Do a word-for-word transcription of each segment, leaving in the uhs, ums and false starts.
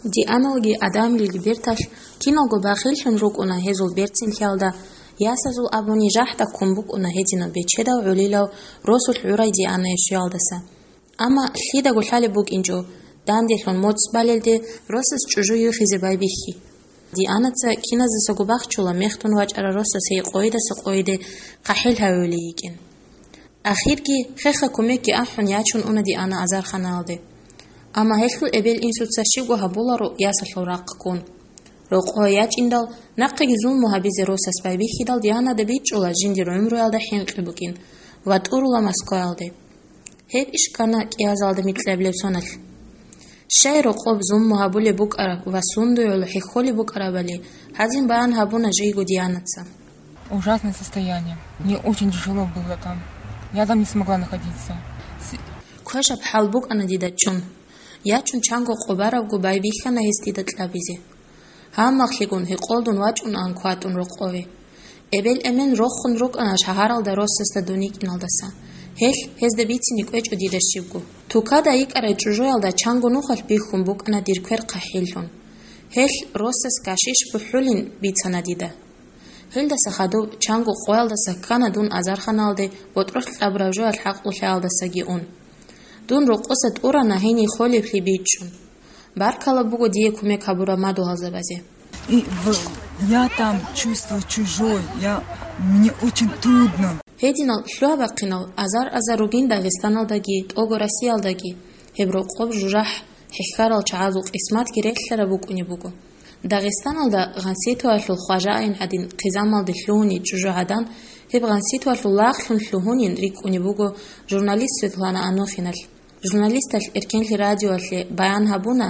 Дианалги Адамилги берталъ киналго бахиллъун рукӀуна гьезул берцинлъиялда, ясазул абуни жахӀда ккун букӀуна гьединаб бечедав гӀолилав росулъ гӀурай Дианае щвеялдаса. Амма лъидаго лъалеб букӀинчӀо, данделъун моцӀ балелде росас чӀужу юхизе байбихьи. Дианаца киназдасаго бахчула мехтун вачӀарал росас гьей къойидаса къойиде хъахӀил гьавулей йикӀин. Ахирги хеха кумекги ахӀун ячун уна Диана азарханаялде. Амма гьелъул эбел-инсуца щибго гьабуларо ясалъул рахъ ккун. Рокъове ячӀиндал, нахъеги зулму гьабизе росас байбихьидал Дианада бичӀчӀула жиндир гӀумруялда хӀинкъи букӀин ва тӀурула Москваялде. Гьеб иш ккана кӀиазалда микьабилеб соналъ. Щай рокъоб зулму гьабулеб букӀараб ва сундуе гӀоло хӀехьолеб букӀарабали гьадин баян гьабуна жийго Дианаца. Ужасное состояние. Мне очень тяжело было там. Я там не смогла находиться. С- Квешаб хӀал букӀана дида чун. Ячун чанго къо барабго байбихьана гьес дида кьабизе. Гьаммахълъигун гьекъолдун вачӀунаан кватӀун рокъове. Эбел-эмен рохун рукӀана шагьаралда росасда дун йикӀиналдаса. Гьелъ гьезда бицине кӀвечӀо дида щибго. Тукада йикӀарай чӀужуялда чанго нухалъ бихьун букӀана дир квер хъахӀиллъун. Гьелъ росас гашиш бухӀулин бицана дида. Гьелдаса хадуб чанго къоялдаса ккана дун азарханалде ботӀролъ кьабураб жоялъ хӀакълулъаялдасаги ун. Дун рокъоса тӀурана гьение холеблъи бичӀчӀун. Баркала буго дие кумек гьабураб мадугьалзабазе. И в-, я там чувствую чужой, я, мне очень трудно. Гьединал лъугьа-бахъинал азар-азар ругин Дагъистаналдаги, тӀого Россиялдаги гьеб рокъоб жужахӀ хӀехьарал чагӀазул къисматги релълъараб букӀунеб буго. Дагъистаналда Гъанситоялъул хважаин гӀадин хъизамалде лъугьуней чӀужугӀадан гьеб Гъанситоялъул лагълъун лъугьунин рикӀкӀунеб буго журналист Светлана Анохиналъ. Журналисталъ Эркенлъи радиоялъе баян гьабуна,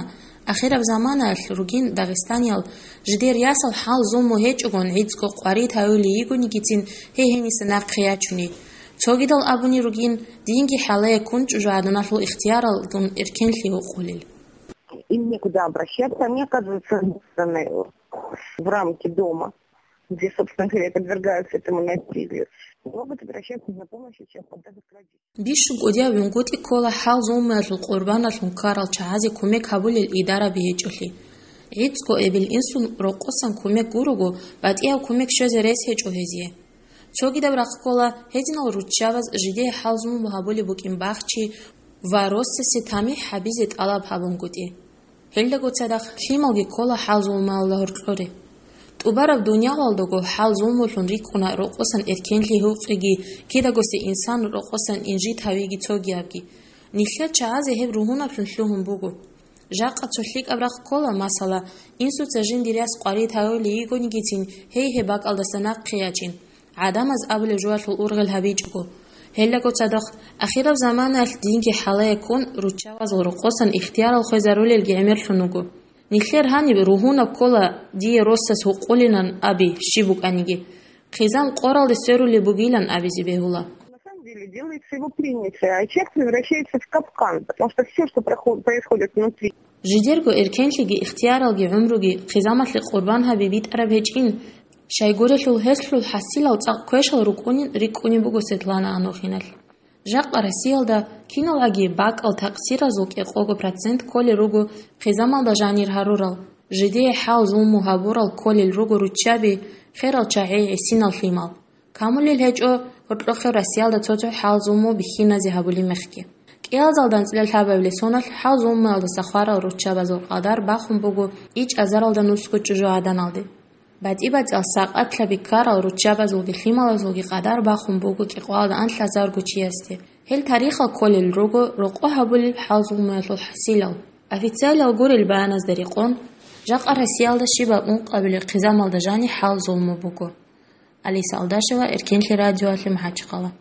ахираб заманаялъ ругин дагъистаниял жидер ясал хӀал-зулму гьечӀогон гӀицӀго къварид гьавулей йигонигицин гьей гьениса нахъе ячуней. Цогидал абуней ругин, динги хӀалае ккун чӀужугӀаданалъул ихтияралдун эркенлъи гьукъулел. Им некуда обращаться, они оказываются загнаны в рамки дома, где, собственно говоря, подвергаются этому насилию. Могут обращаться за помощью сейчас подобных родителей. Бищун кӀудияб вунгутӀи ккола хӀал-зулмуялъул къурбаналъун ккарал чагӀазе кумек гьабулел идараби гьечӀолъи. ГӀицӀго эбел-инсун рокъосан кумек гурого, батӀияб кумек щвезе рес гьечӀо гьезие. Цогидаб рахъ ккола гьединал руччабаз жидее хӀал-зулму гьабулеб букӀин бахчи ва росасе тамихӀ гьабизе тӀалаб гьабунгутӀи. Гьелдаго цадахъ лъималги ккола хӀал-зулмуялда гьоркьоре. ТӀубараб дуниялалдаго хӀал-зулмулъун рикӀкӀуна рокъосан эркенлъи гьукъиги, кидагосе инсан рокъосан инжит гьавиги цогиябги. Нилъер чагӀазе гьеб ругьунаблъун лъугьун буго. Жакъа цо лъикӀаб рахъ ккола, масала, инсуца жиндир яс къварид гьавулей йигонигицин гьей гьеб бакӀалдаса нахъе ячин, гӀадамаз абулеб жоялъул ургъел гьабичӀого. Гьелдаго цадахъ, ахираб заманаялъ динги хӀалае ккун, руччабазул рокъосан ихтиярал хвезарулелги гӀемерлъун вуго. Нилъер гьаниб ругьунаб ккола дие росас гьукъулинан аби щиб букӀаниги, хъизан къоралде сверулеб бугилан абизе бегьула. На самом деле делается его принятие, а человек превращается в капкан, потому что всё, что прохо-, происходит внутри. Жидерго эркенлъиги ихтияралги гӀумруги хъизамалъе къурбан гьаби битӀараб гьечӀин, щайгурелъул гьелъул хӀасилал цӀакъ квешал рукӀунин рикӀкӀунеб буго Светлана Анохиналъ. Жакъа Россиялда киналгӀаги бакӀал такъсиразул кӀикъого процент кколел руго хъизамалда жанир гьарурал, жидее хӀал-зулму гьабурал кколел руго руччаби, херал чагӀи гӀисинал лъимал. Камулел гьечӀо гьоркьохъеб Россиялда цо-цо хӀал-зулму бихьиназе гьабулеб мехги. КӀиазалда анцӀила лъабабилеб соналъ хӀал-зулмуялдаса хварал руччабазул къадар бахун буго ичӀазаралда нусго чӀужугӀаданалде. БатӀи-бацӀал сакъатлъаби ккарал руччабазулги лъималазулги къадар бахун буго кӀикъоялда анлъазарго чиясде. Гьел тарихал кколел руго рокъо гьабулел хӀал-зулмуялъул хӀасилал. Официалиял гурел баяназда рекъон, жакъа Россиялда щибаб ункъабилеб хъизамалда жаниб хӀал-зулму буго. Алиса Алдашева, Эркенлъи радиоялъе, МахӀачхъала.